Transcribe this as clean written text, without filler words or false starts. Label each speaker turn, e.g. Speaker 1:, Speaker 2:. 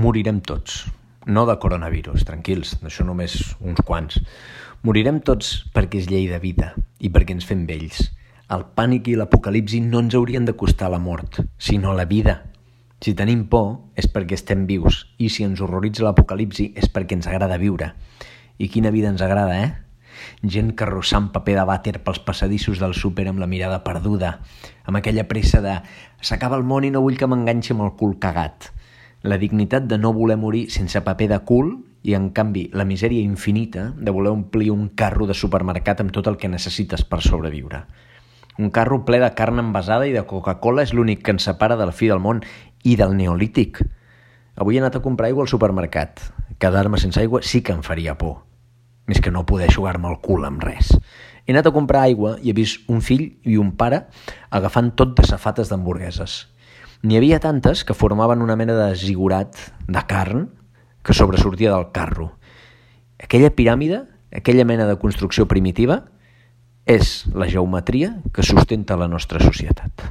Speaker 1: morirem tots. No de coronavirus, tranquils, d'això només uns quants. Morirem tots perquè és llei de vida i perquè ens fem vells. El pànic i l'apocalipsi no ens haurien de costar la mort, sinó la vida. Si tenim por és perquè estem vius i si ens horroritza l'apocalipsi és perquè ens agrada viure. I quina vida ens agrada, Gent carrossant paper de vàter pels passadissos del súper amb la mirada perduda, amb aquella pressa de «s'acaba el món i no vull que m'enganxi amb el cul cagat». La dignitat de no voler morir sense paper de cul i, en canvi, la misèria infinita de voler omplir un carro de supermercat amb tot el que necessites per sobreviure. Un carro ple de carn envasada i de Coca-Cola és l'únic que ens separa de la fi del món i del neolític. Avui he anat a comprar aigua al supermercat. Quedar-me sense aigua sí que em faria por. Més que no poder jugar-me el cul amb res. He anat a comprar aigua i he vist un fill i un pare agafant tot de safates d'hamburgueses. N'hi havia tantes que formaven una mena de zigurat de carn que sobresortia del carro. Aquella piràmide, aquella mena de construcció primitiva, és la geometria que sustenta la nostra societat.